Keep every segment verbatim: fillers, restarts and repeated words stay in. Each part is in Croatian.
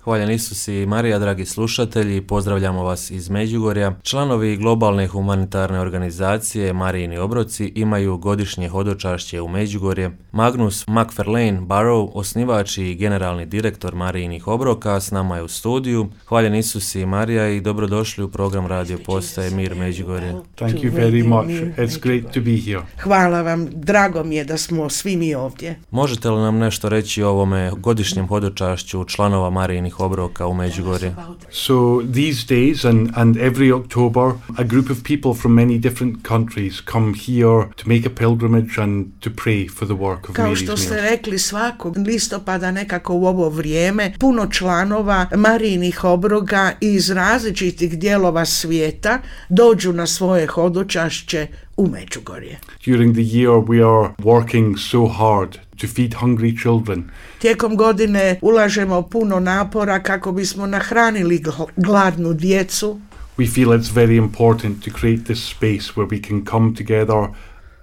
Hvaljen Isus i Marija, dragi slušatelji, pozdravljamo vas iz Međugorja. Članovi globalne humanitarne organizacije Marijini obroci imaju godišnje hodočašće u Međugorje. Magnus McFarlane Barrow, osnivač i generalni direktor Marijinih obroka, s nama je u studiju. Hvaljen Isus i Marija i dobrodošli u program radio postaje Mir Međugorje. Thank you very much. It's great to be here. Hvala vam, drago mi je da smo svi mi ovdje. Možete li nam nešto reći o ovome godišnjem hodočašću članova Marijinih obroka u Međugorje? So these days and, and every October, a group of people from many different countries come here to make a pilgrimage and to pray for the work of Kao Mary's što ste Meals. rekli, svakog listopada nekako u ovo vrijeme puno članova Marijinih obroka iz različitih dijelova svijeta dođu na svoje hodočašće u Međugorje. During the year we are working so hard to feed hungry children. Tijekom godine ulažemo puno napora kako bismo nahranili gl- gladnu djecu. We feel it's very important to create this space where we can come together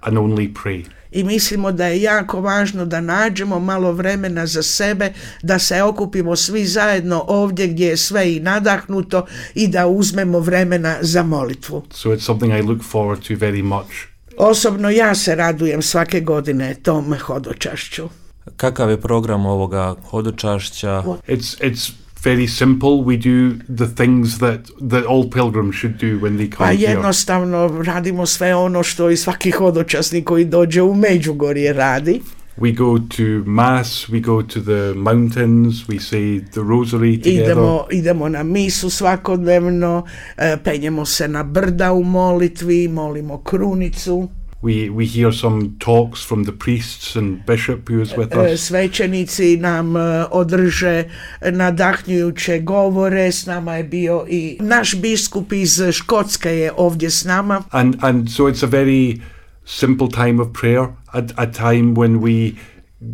and only pray. I mislimo da je jako važno da nađemo malo vremena za sebe, da se okupimo svi zajedno ovdje gdje je sve i nadahnuto i da uzmemo vremena za molitvu. So it's something I look forward to very much. Osobno ja se radujem svake godine tom hodočašću. Kakav je program ovoga hodočašća? It's it's very simple. We do the things that, that all pilgrims should do when they Pa come here. jednostavno radimo sve ono što i svaki hodočasnik koji dođe u Međugorje radi. We go to mass, we go to the mountains, we say the rosary together. Idemo, idemo na misu svakodnevno, e, penjemo se na brda u molitvi, molimo krunicu. We we hear some talks from the priests and bishop who is with E, us. Svećenici nam e, održe nadahnjujuće govore, s nama je bio i naš biskup iz Škotske je ovdje s nama. And and so it's a very simple time of prayer, a, a time when we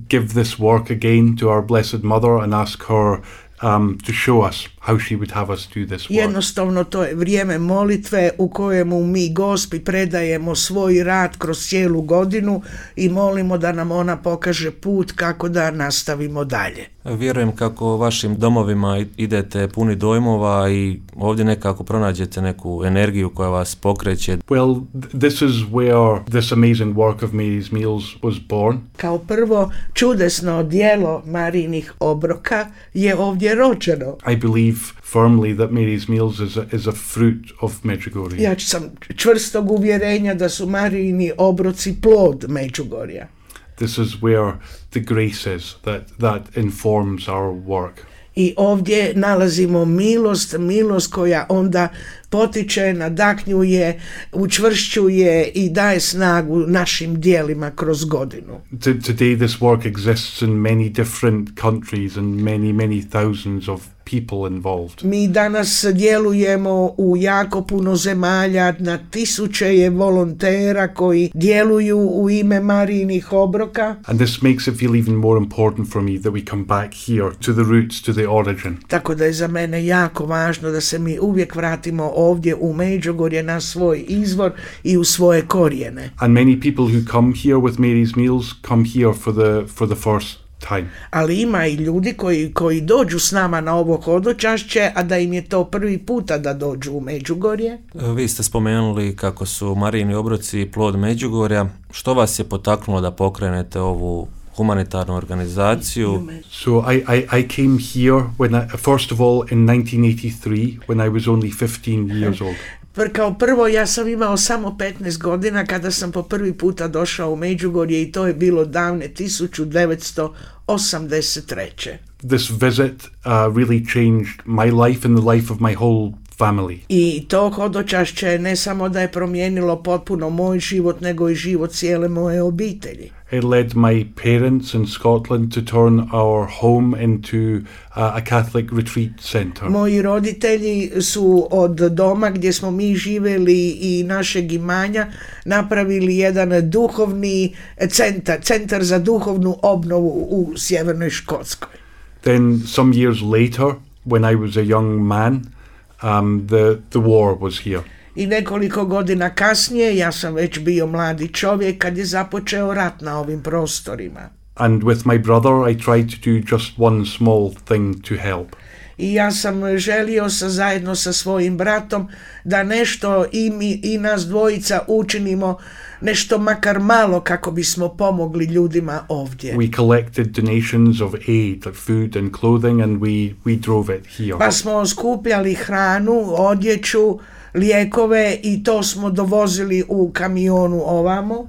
give this work again to our Blessed Mother and ask her um, to show us how she would have us do this work. Jednostavno to je vrijeme molitve u kojemu mi Gospi predajemo svoj rad kroz cijelu godinu i molimo da nam ona pokaže put kako da nastavimo dalje. Vjerujem kako vašim domovima idete puni dojmova i ovdje nekako pronađete neku energiju koja vas pokreće. Well, th- this is where this amazing work of Mary's Meals was born. Kao prvo, čudesno djelo Marijinih obroka je ovdje rođeno. I believe firmly that Mary's Meals is a, is a fruit of Medjugorje. Ja sam čvrstog uvjerenja da su Marijini obroci plod Međugorja. This is where the grace is that, that informs our work. I ovdje nalazimo milost, milost koja onda potiče, nadahnjuje, učvršćuje i daje snagu našim djelima kroz godinu. T- today this work exists in many different countries and many, many thousands of people involved. Mi danas djelujemo u jako puno zemalja, na tisuće je volontera koji djeluju u ime Marijinih obroka. And this makes it feel even more important for me that we come back here to the roots, to the origin. Tako da je za mene jako važno da se mi uvijek vratimo ovdje u Međugorje na svoj izvor i u svoje korijene. And many people who come here with Mary's Meals come here for the for the first time. Ali ima i ljudi koji, koji dođu s nama na ovo hodočašće, a da im je to prvi puta da dođu u Međugorje. Vi ste spomenuli kako su Marijini obroci plod Međugorja. Što vas je potaknulo da pokrenete ovu humanitarnu organizaciju? So I, I, I came here when I, first of all in nineteen eighty-three when I was only fifteen years old. Pr- Kao prvo, ja sam imao samo petnaest godina kada sam po prvi puta došao u Međugorje i to je bilo davne tisuću devetsto osamdeset treće. This visit uh, really changed my life and the life of my whole family. I to hodočašće ne samo da je promijenilo potpuno moj život, nego i život cijele moje obitelji. It led my parents in Scotland to turn our home into uh, a Catholic retreat center. Moji roditelji su od doma gdje smo mi živjeli i našeg imanja napravili jedan duhovni centar, centar za duhovnu obnovu u Sjevernoj Škotskoj. Then some years later, when I was a young man, um, the, the war was here. I nekoliko godina kasnije, ja sam već bio mladi čovjek kad je započeo rat na ovim prostorima. And with my brother, I tried to do just one small thing to help. I ja sam želio sa, zajedno sa svojim bratom da nešto i, mi, i nas dvojica učinimo, nešto makar malo kako bismo pomogli ljudima ovdje. We collected donations of aid, like food and clothing, and we, we drove it here. Pa smo skupljali hranu, odjeću, lijekove i to smo dovozili u kamionu ovamo.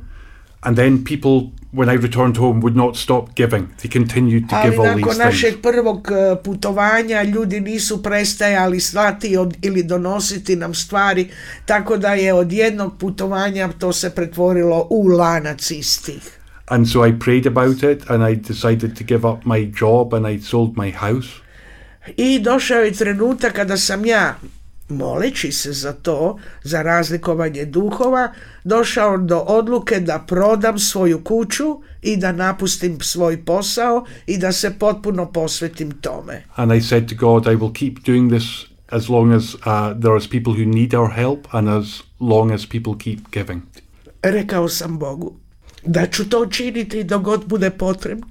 And then people, when I returned home, would not stop giving. They continued to Ali give all nakon these našeg things. prvog putovanja ljudi nisu prestajali slati od, ili donositi nam stvari, tako da je od jednog putovanja to se pretvorilo u lanac istih. And so I prayed about it, and I decided to give up my job, and I sold my house. I došao je trenutak kada sam ja, moleći se za to, za razlikovanje duhova, došao do odluke da prodam svoju kuću i da napustim svoj posao i da se potpuno posvetim tome. And I said to God, I will keep doing this as long as uh, there is people who need our help, and as long as people keep giving. Rekao sam Bogu da ću to činiti dok god bude potrebno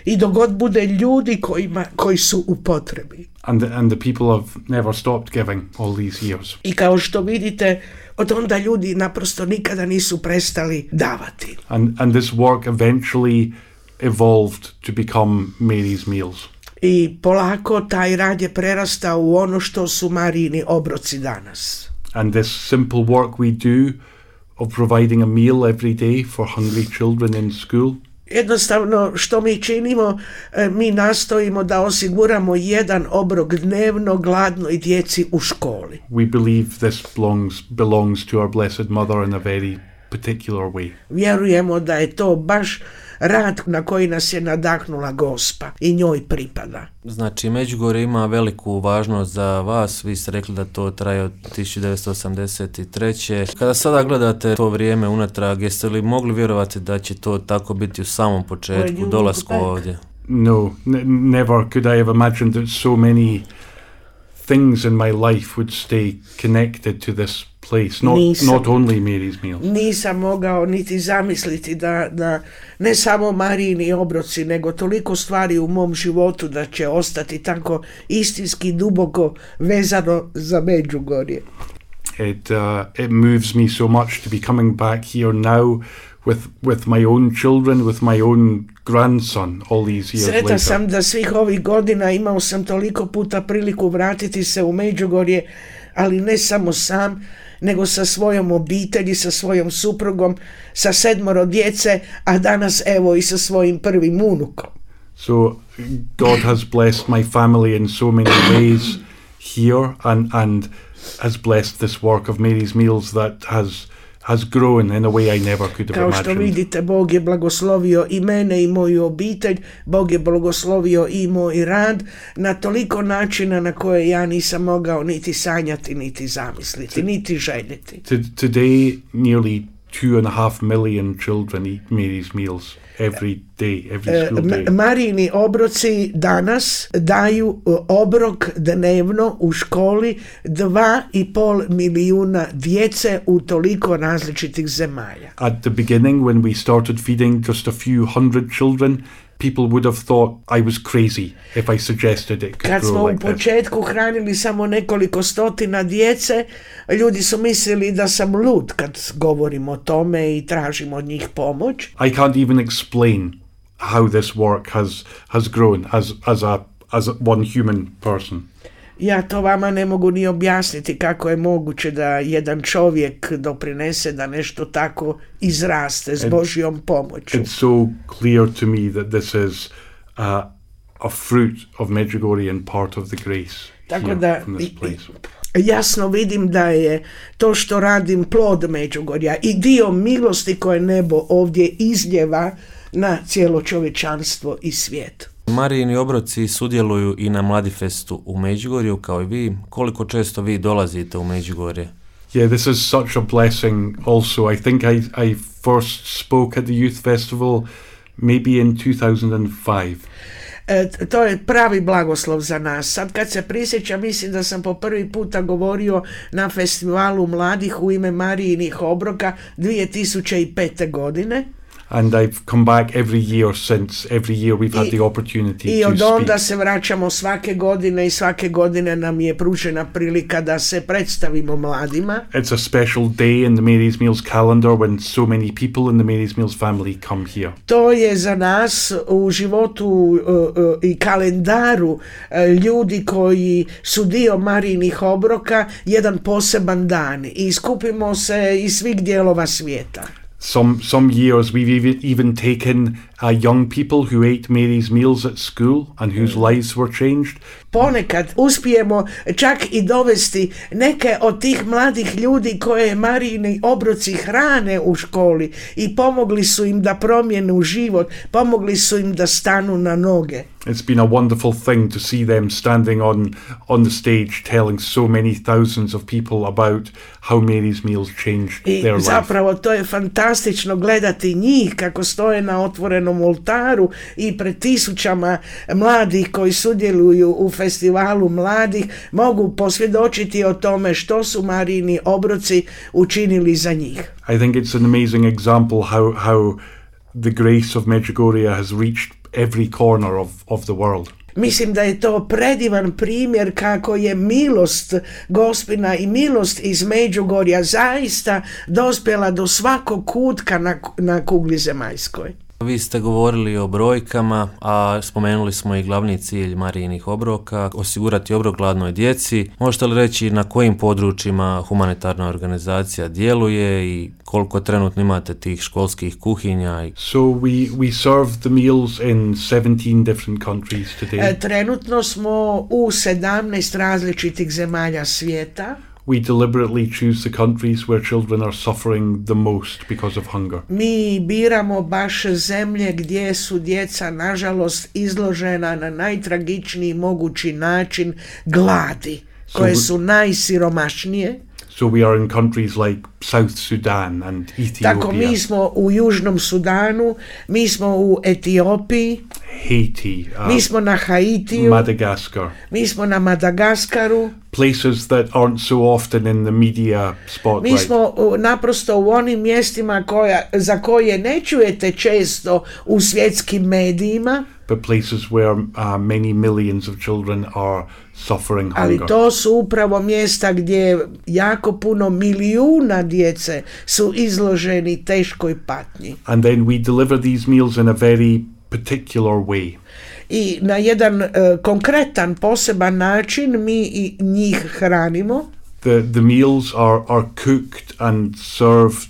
i dok god bude ljudi kojima, koji su u potrebi. And the, and the people have never stopped giving all these years. I kao što vidite, od onda ljudi naprosto nikada nisu prestali davati. And, and this work eventually evolved to become Mary's Meals. I polako taj rad je prerastao u ono što su Marijini obroci danas. And this simple work we do of providing a meal every day for hungry children in school. Jednostavno što mi činimo, mi nastojimo da osiguramo jedan obrok dnevno gladnoj djeci u školi. We believe this belongs, belongs to our Blessed Mother in a very particular way. Vjerujemo da je to baš rad na koji nas je nadahnula Gospa i njoj pripada. Znači, Međugorje ima veliku važnost za vas, vi ste rekli da to traje od tisuću devetsto osamdeset treće. Kada sada gledate to vrijeme unatrag, jeste li mogli vjerovati da će to tako biti u samom početku, dolasku ovdje? No, n- never could I have imagined that so many things in my life would stay connected to this place, not, not only Mary's Meals. Nisam mogao niti zamisliti da, da ne samo Marijini obroci, nego toliko stvari u mom životu da će ostati tako istinski duboko vezano za Međugorje. It, uh, it moves me so much to be coming back here now with, with my own children, with my own grandson all these years Sretan later. sam da svih ovih godina imao sam toliko puta priliku vratiti se u Međugorje, ali ne samo sam, nego sa svojom obitelji, sa svojom suprugom, sa sedmoro djece, a danas evo i sa svojim prvim unukom. So God has blessed my family in so many ways here, and, and has blessed this work of Mary's Meals that has has grown in a way I never could have Kao imagined. što vidite, Bog je blagoslovio i mene i moju obitelj, Bog je blagoslovio i moj rad na toliko načina na koje ja nisam mogao niti sanjati, niti zamisliti, niti željeti. Today, nearly two and a half million children eat Mary's Meals every day, every school day. Marijini obroci danas daju obrok dnevno u školi dva i pol milijuna djece u toliko različitih zemalja. At the beginning, when we started feeding just a few hundred children, people would have thought I was crazy if I suggested it could Kad grow smo like u početku hranili samo nekoliko stotina djece, ljudi su mislili da sam lud kad govorim o tome i tražim od njih pomoć. I can't even explain how this work has has grown as as a as a one human person. Ja to vama ne mogu ni objasniti kako je moguće da jedan čovjek doprinese da nešto tako izraste s Božjom pomoću. It's so clear to me that this is uh, a fruit of Medjugorje and part of the grace Tako here da from this place. jasno vidim da je to što radim plod Međugorja i dio milosti koje nebo ovdje izljeva na cijelo čovječanstvo i svijet. Marijini obroci sudjeluju i na Mladifestu u Međugorju kao i vi. Koliko često vi dolazite u Međugorje? Yeah, this is such a blessing also. I think I, I first spoke at the Youth Festival maybe in two thousand five. E, to je pravi blagoslov za nas. Sad kad se prisjećam, mislim da sam po prvi puta govorio na festivalu mladih u ime Marijinih obroka dvije tisuće pete. godine. And I've come back every year since. Every year we've had I, the opportunity I to od onda speak. se vraćamo svake godine i svake godine nam je pružena prilika da se predstavimo mladima. It's a special day in the Mary's Meals calendar when so many people in the Mary's Meals family come here. To je za nas u životu uh, uh, i kalendaru uh, ljudi koji su dio Marijinih obroka jedan poseban dan i skupimo se iz svih dijelova svijeta. Some some years we've even, even taken uh, young people who ate Mary's Meals at school and whose lives were changed. Ponekad uspijemo čak i dovesti neke od tih mladih ljudi koje Marijini obroci hrane u školi i pomogli su im da promijenu život, pomogli su im da stanu na noge. It's been a wonderful thing to see them standing on on the stage telling so many thousands of people about how Mary's Meals changed I their life. zapravo to je fantastično gledati njih kako stoje na otvorenom oltaru i pred tisućama mladih koji sudjeluju u festivalu mladih mogu posvjedočiti o tome što su Marijini obroci učinili za njih. I think it's an amazing example how how the grace of Medjugorje has reached every corner of, of the world. Mislim da je to predivan primjer kako je milost Gospina i milost iz Međugorja zaista dospjela do svakog kutka na, na kugli zemaljskoj. Vi ste govorili o brojkama, a spomenuli smo i glavni cilj Marijinih obroka, osigurati obrok gladnoj djeci. Možete li reći na kojim područjima humanitarna organizacija djeluje i koliko trenutno imate tih školskih kuhinja? So we, we serve the meals in seventeen different countries today. Trenutno smo u sedamnaest različitih zemalja svijeta. We deliberately choose the countries where children are suffering the most because of hunger. Mi biramo baš zemlje gdje su djeca nažalost izložena na najtragičniji mogući način gladi, koje su najsiromašnije. So we are in countries like South Sudan and Ethiopia. Tako mi smo u Južnom Sudanu, mi smo u Etiopiji, Haiti, uh, mi smo na Haitiju, Madagascar. mi smo na Madagaskaru. Places that aren't so often in the media spotlight. Mi smo uh, naprosto u onim mjestima koja, za koje ne čujete često u svjetskim medijima. But places where uh, many millions of children are suffering Ali hunger. to su upravo mjesta gdje jako puno milijuna djece su izloženi teškoj patnji. And then we deliver these meals in a very particular way. I na jedan uh, konkretan, poseban način mi i njih hranimo. The the meals are are cooked and served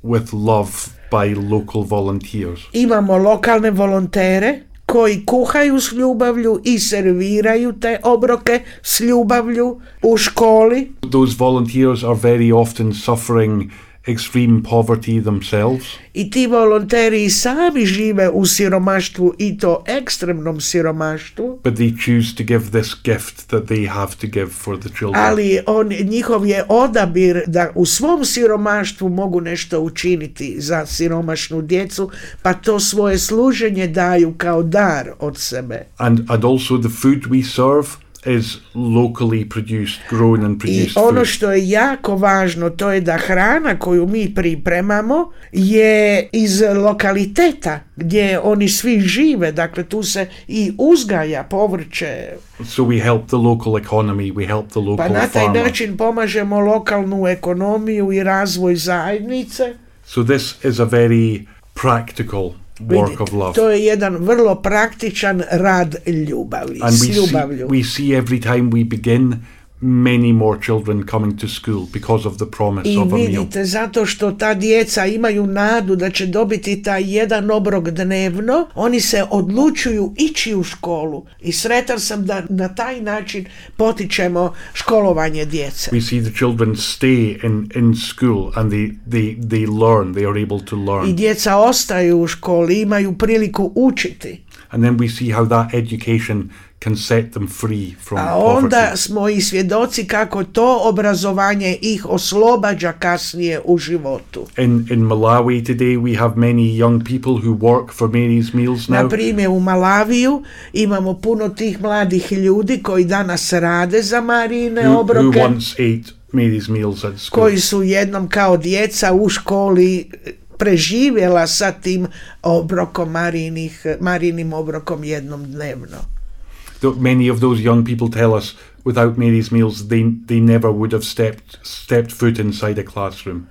with love by local volunteers. Imamo lokalne volontere koji kuhaju s ljubavlju i serviraju te obroke s ljubavlju u školi. Those volunteers are very often suffering extreme poverty themselves. I ti volonteri sami žive u siromaštvu i to ekstremnom siromaštvu. But they choose to give this gift that they have to give for the children. Ali on, njihov je odabir da u svom siromaštvu mogu nešto učiniti za siromašnu djecu, pa to svoje služenje daju kao dar od sebe. And and also the food we serve is locally produced, grown and produced I ono food. što je jako važno, to je da hrana koju mi pripremamo je iz lokaliteta gdje oni svi žive, dakle tu se i uzgaja povrće. So we help the local economy, we help the local Pa na taj farmer. način pomažemo lokalnu ekonomiju i razvoj zajednice. So this is a very practical work of love. To je jedan vrlo praktičan rad ljubavi, And s we see, ljubavlju. we see every time we begin many more children coming to school because of the promise I of a meal. vidite, zato što ta djeca imaju nadu da će dobiti taj jedan obrok dnevno, oni se odlučuju ići u školu. I sretan sam da na taj način potičemo školovanje djece. We see the children stay in, in school and they, they, they learn, they are able to learn. I djeca ostaju u školi, imaju priliku učiti. And then we see how that education can set them free from A onda poverty. smo i svjedoci kako to obrazovanje ih oslobađa kasnije u životu. In, in Malawi today we have many young people who work for Mary's Meals now. Na primjer u Malaviju imamo puno tih mladih ljudi koji danas rade za Marijine who, who obroke, once ate Mary's Meals at school. koji su jednom kao djeca u školi preživjela sa tim obrokom Marijinih, Marijinim obrokom jednom dnevno. Many of those young people tell us without Mary's meals they, they never would have stepped, stepped foot inside a classroom.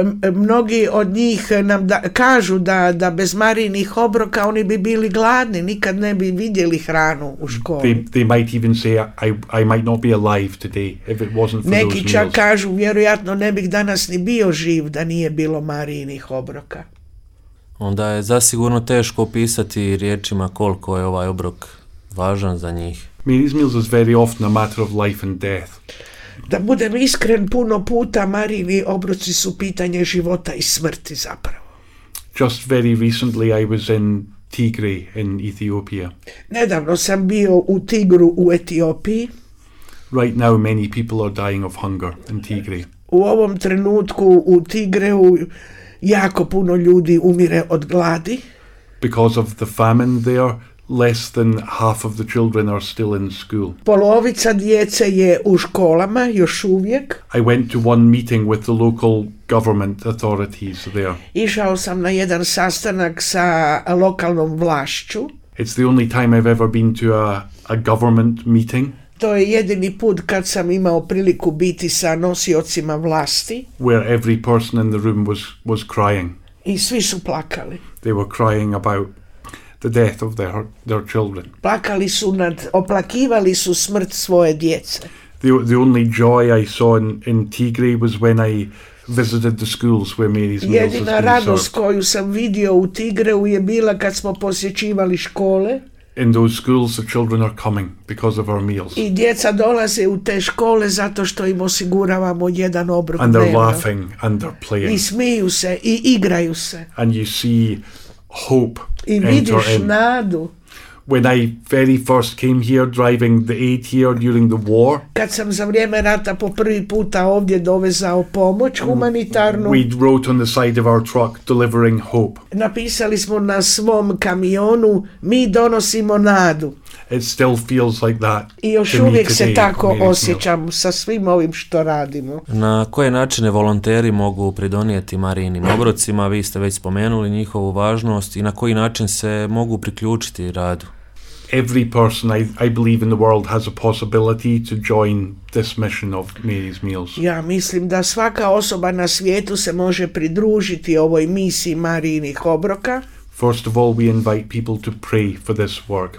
Um, mnogi od njih nam da, kažu da, da bez Marijinih obroka oni bi bili gladni, nikad ne bi vidjeli hranu u školi. They, they might even say, I, I might not be alive today if it wasn't for Neki those čak meals. kažu, vjerojatno ne bih danas ni bio živ da nije bilo Marijinih obroka. Onda je zasigurno teško opisati riječima koliko je ovaj obrok važan za njih. Mary's meals is very often a matter of life and death. Da budem iskren, puno puta Marijini obroci su pitanje života i smrti zapravo. Just very recently I was in Tigray in Ethiopia. Nedavno sam bio u Tigru u Etiopiji. Right now many people are dying of hunger in Tigray. U ovom trenutku u Tigreu jako puno ljudi umire od gladi. Because of the famine there, less than half of the children are still in school. Polovica djece je u školama još uvijek. I went to one meeting with the local government authorities there. Išao sam na jedan sastanak sa lokalnom vlašću. It's the only time I've ever been to a, a government meeting. To je jedini put kad sam imao priliku biti sa nosiocima vlasti. Where every person in the room was, was crying. I svi su plakali. They were crying about the death of their, their children. Plakali su nad, oplakivali su smrt svoje djece. The, the only joy I saw in, in Tigray was when I visited the schools where Mary's meals has Jedina been radost served. koju sam vidio u Tigreu je bila kad smo posjećivali škole. In those schools the children are coming because of our meals. I djeca dolaze u te škole zato što im osiguravamo jedan obrok And they're dnevno. laughing and they're I playing. smiju se i igraju se. And you see hope I enter vidiš in. nadu. When I very first came here driving the aid here during the war, Kad sam za vrijeme rata po prvi puta ovdje dovezao pomoć humanitarnu, we wrote on the side of our truck delivering hope. napisali smo na svom kamionu, mi donosimo nadu. It still feels like that. I još to me uvijek se today, tako Mary's meals. osjećam sa svim ovim što radimo. Na koje načine volonteri mogu pridonijeti Marijinim obrocima? Vi ste već spomenuli njihovu važnost i na koji način se mogu priključiti radu. Every person I, I believe in the world has a possibility to join this mission of Mary's meals. Ja mislim da svaka osoba na svijetu se može pridružiti ovoj misiji Marijinih obroka. First of all, we invite people to pray for this work.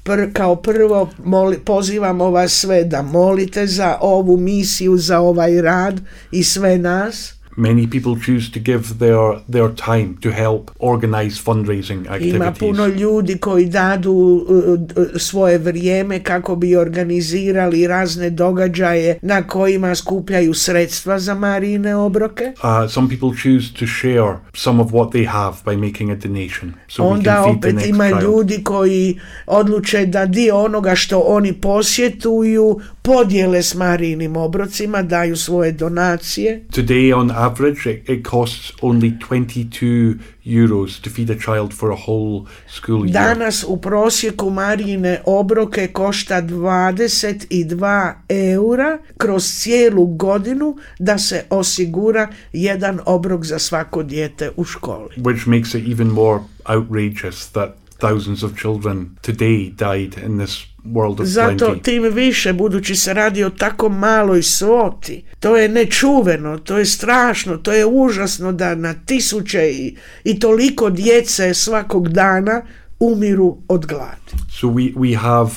Pr, kao prvo moli, pozivamo vas sve da molite za ovu misiju, za ovaj rad i sve nas. Many people choose to give their, their time to help organize fundraising activities. Ima puno ljudi koji dadu uh, svoje vrijeme kako bi organizirali razne događaje na kojima skupljaju sredstva za Marijine obroke. Uh, some people choose to share some of what they have by making a donation. So we Onda can feed the opet next ima child. ljudi koji odluče da dio onoga što oni posjetuju podijele s Marijinim obrocima, daju svoje donacije. Today, on average, it, it costs only twenty-two euros to feed a child for a whole school year. Danas u prosjeku Marijine obroke košta dvadeset dva eura kroz cijelu godinu da se osigura jedan obrok za svako dijete u školi. Which makes it even more outrageous that thousands of children today died in this world of Zato plenty. tim više, budući se radi o tako maloj svoti, to je nečuveno, to je strašno, to je užasno da na tisuće i, i toliko djece svakog dana umiru od gladi. So we, we have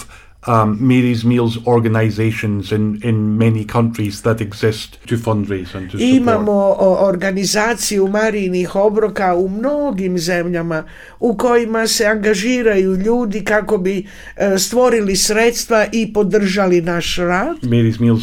um, Mary's Meals organizations in, in many countries that exist to fundraise and to support. Imamo o, organizaciju Marijinih obroka u mnogim zemljama u kojima se angažiraju ljudi kako bi e, stvorili sredstva i podržali naš rad. Mary's Meals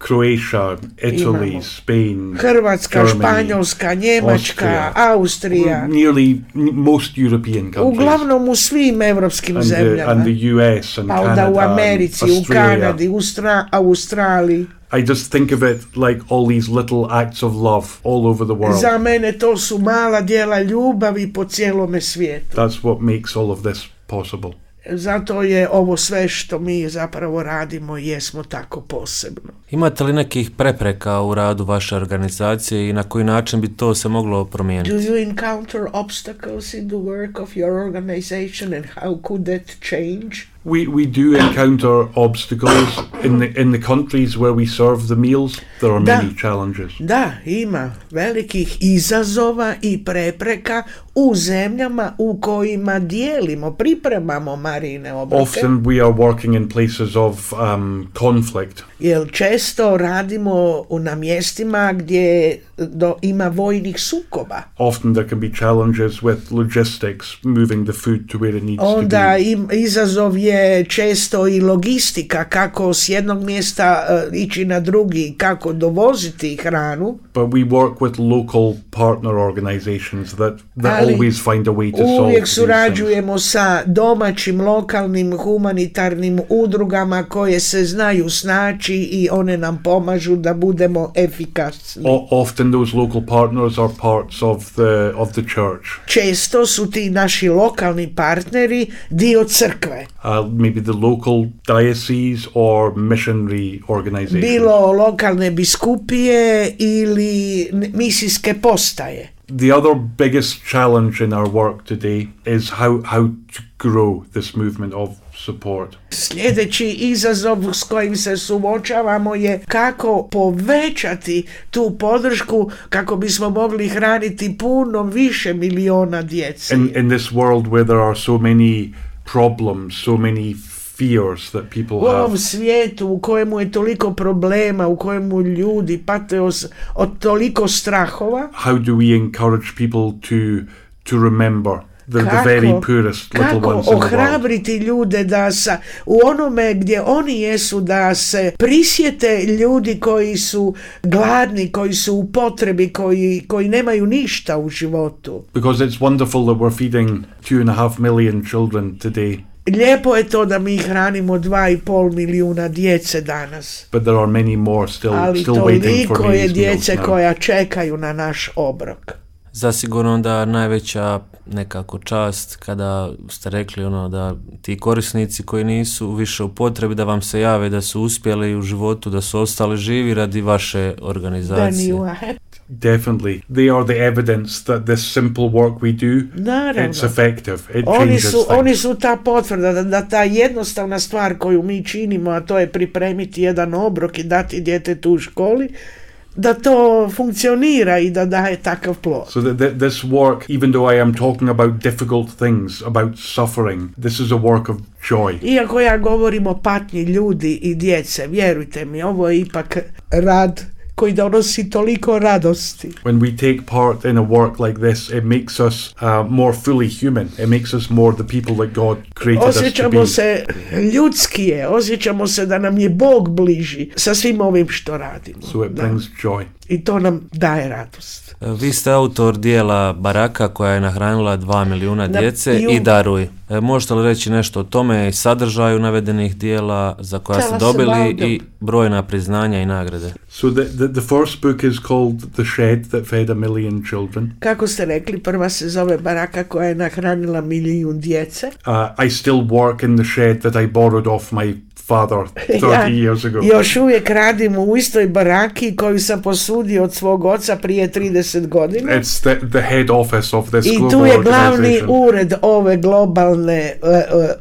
Croatia, Italy, Imamo. Spain, Hrvatska, Germany, Španjolska, Njemačka, Austria. Austrija, nearly n- most European countries. uglavnom u svim evropskim and the, zemljama. and the U S and Pa onda Canada u Americi, and u Australia. Kanadi, u Stra- Australiji. I just think of it like all these little acts of love all over the world. Za mene to su mala djela ljubavi po cijelome svijetu. That's what makes all of this possible. Zato je ovo sve što mi zapravo radimo jesmo tako posebno. Imate li nekih prepreka u radu vaše organizacije i na koji način bi to se moglo promijeniti? Do you encounter obstacles in the work of your organization and how could that change? We we do encounter obstacles in the in the countries where we serve the meals. There are Da. many challenges. Da, ima velikih izazova i prepreka u zemljama u kojima dijelimo, pripremamo Marijine obroke. Often we are working in places of um, conflict. Jer često radimo u- na mjestima gdje do, ima vojnih sukoba. Often there can be challenges with logistics, moving the food to where it needs Onda to be. im, izazov je često i logistika, kako s jednog mjesta uh, ići na drugi, kako dovoziti hranu. But we work with local partner organizations that, that Ali always find a way to solve uvijek these things. surađujemo sa domaćim, lokalnim, humanitarnim udrugama koje se znaju snaći i one nam pomažu da budemo efikasni. O- often those local partners are parts of the of the church. Često su ti naši lokalni partneri dio crkve. Uh, maybe the local diocese or missionary organizations. Bilo lokalne biskupije ili n- misijske postaje. The other biggest challenge in our work today is how, how to grow this movement of support. Sljedeći izazov s kojim se suočavamo je kako povećati tu podršku kako bismo mogli hraniti puno više miliona djece. In, in this world where there are so many problems, so many fears that people U ovom have, svijetu u kojemu je toliko problema, u kojemu ljudi pate os- od toliko strahova, how do we encourage people to, to remember the, the Kako- very poorest little kako ones in the world? ohrabriti ljude da sa, u onome gdje oni jesu, da se prisjete ljudi koji su gladni, koji su u potrebi, koji, koji nemaju ništa u životu. Because it's wonderful that we're feeding two and a half million children today, Lijepo je to da mi hranimo dva i pol milijuna djece danas, but there are many more still ali still waiting for toliko je these meals djece now. koja čekaju na naš obrok. Zasigurno da najveća nekako čast kada ste rekli ono da ti korisnici koji nisu više u potrebi da vam se jave da su uspjeli u životu, da su ostali živi radi vaše Then organizacije. you are happy. Definitely. They are the evidence that this simple work we do, Naravno. it's effective. It Oni changes su, things. oni su ta potvrda da, da ta jednostavna stvar koju mi činimo, a to je pripremiti jedan obrok i dati djetetu u školi, da to funkcionira i da daje takav plod. So that that this work, even though I am talking about difficult things, about suffering, this is a work of joy. Iako ja govorim o patnji ljudi i djece, vjerujte mi, ovo je ipak rad koji donosi toliko radosti. When we take part in a work like this, it makes us uh, more fully human. It makes us more the people that God created us to be. Osjećamo se ljudskije, osjećamo se da nam je Bog bliži sa svim ovim što radimo. So it Da. brings joy. I to nam daje radost. Vi ste autor dijela Baraka koja je nahranila dva milijuna Da, djece i u- i Daruj. E, Možete li reći nešto o tome i sadržaju navedenih dijela za koja Tell ste us dobili about them. i brojna priznanja i nagrade? So the, the the first book is called The Shed That Fed a Million Children. Kako ste rekli, prva se zove Baraka koja je nahranila milijun djece. Uh, I still work in the shed that I borrowed off my father thirty Ja years ago. još uvijek radim u istoj baraki koju sam posudio od svog oca prije trideset godina. It's the, the head office of this I global tu je glavni organization. ured ove globalne uh,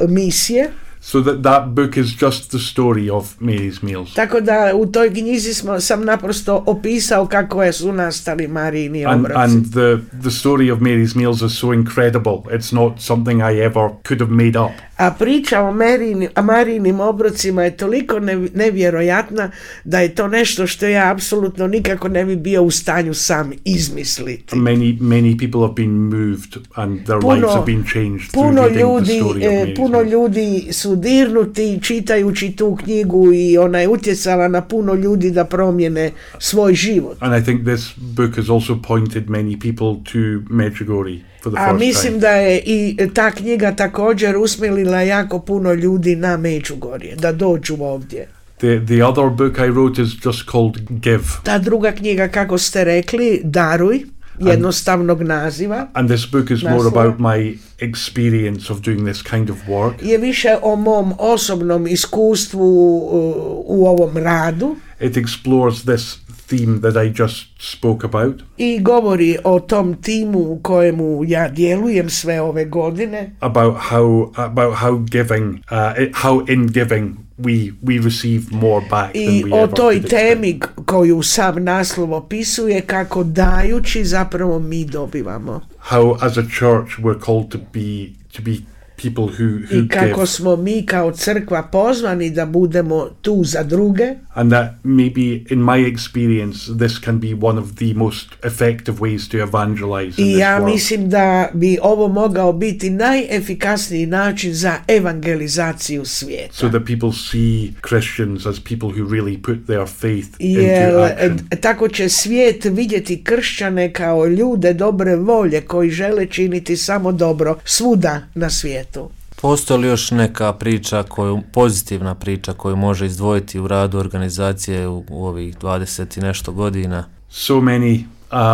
uh, misije. So that that book is just the story of Mary's Meals. Tako da u toj knjizi smo, sam naprosto opisao kako je su nastali Marijini And, obroci. and the, the story of Mary's Meals is so incredible. It's not something I ever could have made up. A priča o Marijini, o Marijinim obrocima je toliko nev- nevjerojatna da je to nešto što ja apsolutno nikako ne bi bio u stanju sam izmisliti. Many many people have been moved and their Puno- lives have been changed through Puno reading the ljudi, story of e, Mary's puno Meals. ljudi su dirnuti čitajući tu knjigu i ona je utjecala na puno ljudi da promijene svoj život. And I think this book has also pointed many people to Medjugorje for the A first mislim time. da je i ta knjiga također usmjerila jako puno ljudi na Međugorje, da dođu ovdje. The the other book I wrote is just called Give. Ta druga knjiga, kako ste rekli, Daruj. jednostavnog naziva. And this book is more Naslova. about my experience of doing this kind of work. Je više o mom osobnom iskustvu uh, u ovom radu. It explores this theme that I just spoke about. I govori o tom timu u kojemu ja djelujem sve ove godine. About how about how giving, uh, it, how in giving we we receive more back than I we o ever toj could temi expect. koju sam naslov opisuje, kako dajući zapravo mi dobivamo. How as a church we're called to be to be people who who I kako give, smo mi kao crkva pozvani da budemo tu za druge. and that maybe in my experience this can be one of the most effective ways to evangelize in I this ja world. mislim da bi ovo mogao biti najefikasniji način za evangelizaciju svijeta. So that people see Christians as people who really put their faith Jer into action. e, tako će svijet vidjeti kršćane kao ljude dobre volje koji žele činiti samo dobro svuda na svijetu. Postoji li još neka priča, koju, pozitivna priča koju može izdvojiti u radu organizacije u, u ovih dvadeset i nešto godina? So many.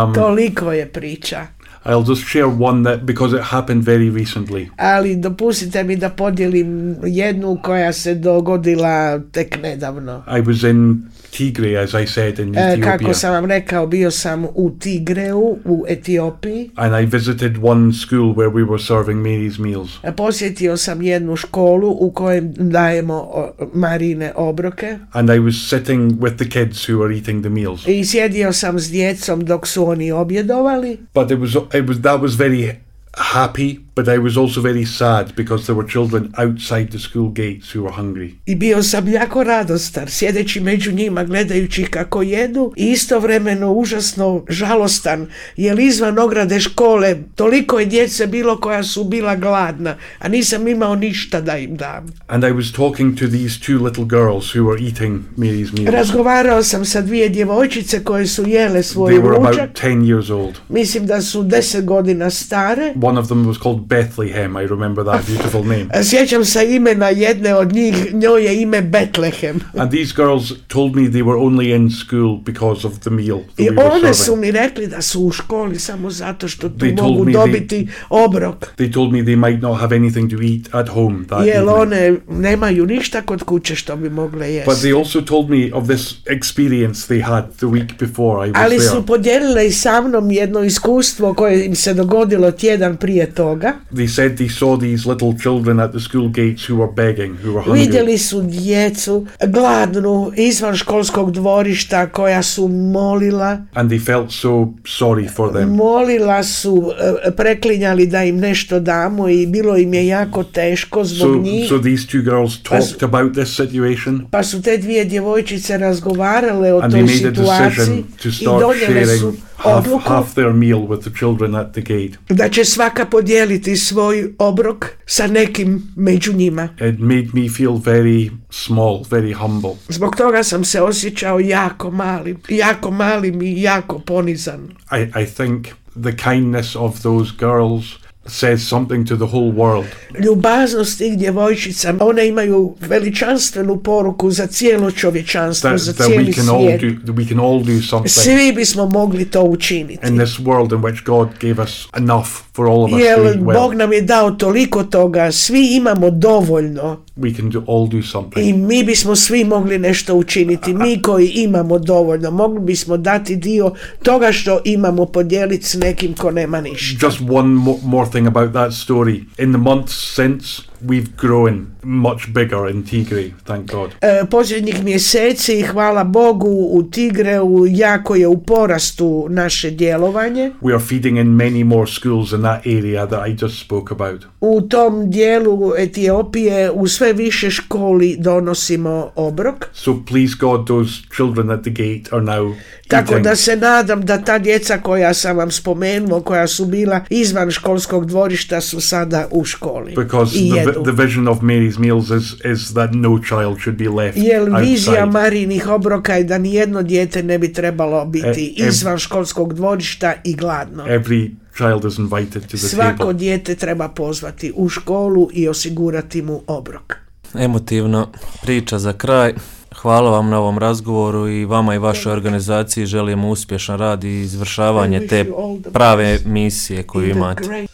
Um, Toliko je priča. I'll just share one that because it happened very recently. Ali dopustite mi da podijelim jednu koja se dogodila tek nedavno. I was in Tigray, as I said, in E, Ethiopia, kako sam vam rekao, bio sam u Tigreu u Etiopiji. and I visited one school where we were serving Mary's meals. E, Posjetio sam jednu školu u kojem dajemo o, Marine obroke And I was sitting with the kids who were eating the meals. i sjedio sam s djecom dok su oni objedovali. But it was it was that was very happy, but I was also very sad because there were children outside the school gates who were hungry. I bio sam jako radostan, sjedeći među njima, gledajući kako jedu, i istovremeno užasno žalostan, jer izvan ograde škole toliko je djece bilo koja su bila gladna, a nisam imao ništa da im dam. And I was talking to these two little girls who were eating Mary's meals. Razgovarao sam sa dvije djevojčice koje su jele svoj They were about ručak. ten years old. Mislim da su deset godina stare. One of them was called Bethlehem. I remember that beautiful name. Sjećam se imena jedne od njih, njoj je ime Betlehem. And these girls told me they were only in school because of the meal that I we were one su serving. mi rekli da su u školi samo zato što tu They told mogu me dobiti obrok. They told me they might not have anything to eat at home that Jer evening. one nemaju ništa kod kuće što bi mogle But jesti. they also told me of this experience they had the week before I was Ali there. su podijelile i sa mnom jedno iskustvo koje im se dogodilo tjedan prije toga. They said they saw these little children at the school gates who were begging, who were hungry. Vidjeli su djecu gladnu izvan školskog dvorišta koja su molila. And they felt so sorry for them. Molila su, e, preklinjali da im nešto damo i bilo im je jako teško zbog So, njih. so these two girls talked about this situation, Pa su te dvije djevojčice razgovarale o and they toj made a situaciji decision to i start donijele su sharing half, odluku half their meal with the children at the gate. da će svaka podijeliti svoj obrok sa nekim među njima. It made me feel very small, very humble. Zbog toga sam se osjećao jako malim, jako malim i jako ponizan. I, I think the kindness of those girls says something to the whole world. Ljubaznost tih djevojčica, one imaju veličanstvenu poruku za cijelo čovječanstvo, That, za that cijeli we can all svijet. do that we can all do something Svi bismo mogli to učiniti. in this world in which God gave us enough for all of us to Jer eat well. Bog nam je dao toliko toga, svi imamo dovoljno We can do, all do something. i mi bismo svi mogli nešto učiniti. Mi koji imamo dovoljno, mogli bismo dati dio toga što imamo, podijeliti s nekim ko nema ništa. Just one mo- more thing about that story. In the months since, we've grown much bigger in Tigray, thank God. E, posljednjih mjeseci, hvala Bogu, u Tigreu jako je u porastu naše djelovanje. We are feeding in many more schools in that area that I just spoke about. U tom dijelu Etiopije u sve više školi donosimo obrok. So please God, those children at the gate are now Tako eating. da se nadam da ta djeca koja sam vam spomenuo, koja su bila izvan školskog dvorišta, su sada u školi Because i the, vi- jedu. the vision of Mary's meals is, is that no child should be left Jer vizija outside. Marijinih obroka je da nijedno dijete ne bi trebalo biti E, e- izvan školskog dvorišta i gladno. Every child is invited to the Svako table. dijete treba pozvati u školu i osigurati mu obrok. Emotivno priča za kraj. Hvala vam na ovom razgovoru i vama i vašoj organizaciji želimo uspješan rad i izvršavanje te prave misije koju imate.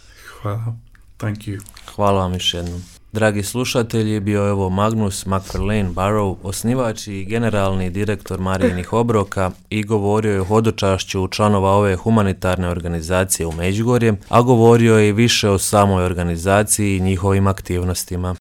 Hvala. Thank you. Hvala vam još jednom. Dragi slušatelji, bio je ovo Magnus McFarlane Barrow, osnivač i generalni direktor Marijinih obroka i govorio je o hodočašću članova ove humanitarne organizacije u Međugorje, a govorio je i više o samoj organizaciji i njihovim aktivnostima.